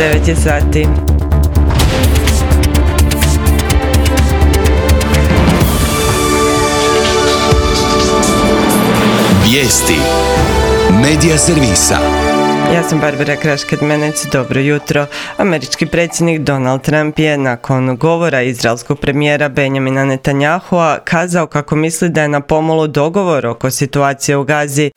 9 je sati. Vijesti Medija servisa. Ja sam Barbara Kraš-Kadmenec, dobro jutro. Američki predsjednik Donald Trump je nakon govora izraelskog premijera Benjamina Netanyahua kazao kako misli da je na pomolu dogovor oko situacije u Gazi.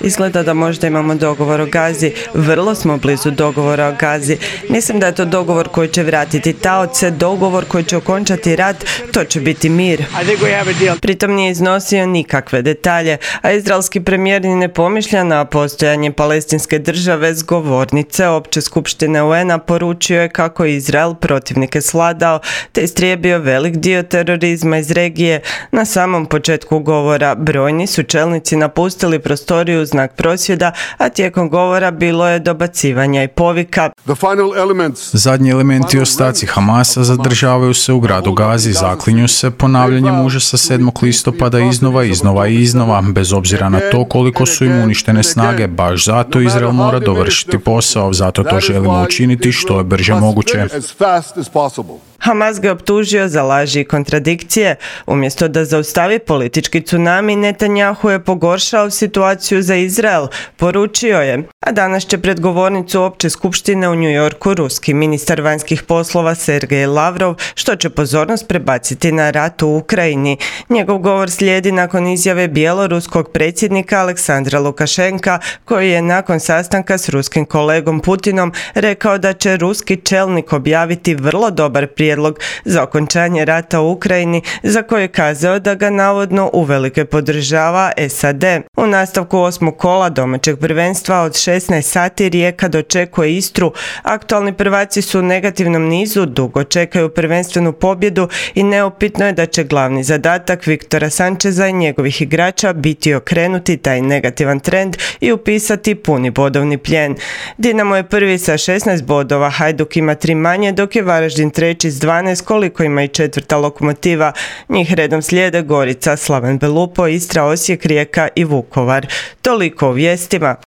Izgleda da možda imamo dogovor o Gazi, vrlo smo blizu dogovora o Gazi. Mislim da je to dogovor koji će vratiti taoce, dogovor koji će okončati rat, to će biti mir. Pritom nije iznosio nikakve detalje, a izraelski premijer ni ne pomišlja na postojanje palestinske države. S govornice Opće skupštine UN-a poručio je kako je Izrael protivnike svladao te istrijebio velik dio terorizma iz regije. Na samom početku govora brojni su čelnici napustili prostoriju u znak prosvjeda, a tijekom govora bilo je dobacivanja i povika. Zadnji elementi ostaci Hamasa zadržavaju se u gradu Gazi, zaklinju se ponavljanjem užasa 7. listopada iznova, bez obzira na to koliko su im uništene snage. Baš zato Izrael mora dovršiti posao, zato to želimo učiniti što je brže moguće. Hamas ga optužio za laži i kontradikcije. Umjesto da zaustavi politički tsunami, Netanyahu je pogoršao situaciju za Izrael, poručio je. A danas će pred govornicu Opće skupštine u New Yorku ruski ministar vanjskih poslova Sergej Lavrov, što će pozornost prebaciti na rat u Ukrajini. Njegov govor slijedi nakon izjave bjeloruskog predsjednika Aleksandra Lukašenka, koji je nakon sastanka s ruskim kolegom Putinom rekao da će ruski čelnik objaviti vrlo dobar prijedlog za okončanje rata u Ukrajini, za koje je kazao da ga navodno uvelike podržava SAD. U nastavku 8. kola domaćeg prvenstva od 16 sati Rijeka dočekuje Istru. Aktualni prvaci su u negativnom nizu, dugo čekaju prvenstvenu pobjedu i neupitno je da će glavni zadatak Viktora Sančeza i njegovih igrača biti okrenuti taj negativan trend i upisati puni bodovni plijen. Dinamo je prvi sa 16 bodova, Hajduk ima 3 manje, dok je Varaždin treći s 12, koliko ima i četvrta Lokomotiva. Njih redom slijede Gorica, Slaven Belupo, Istra, Osijek, Rijeka i Vukovar. Toliko u vijestima.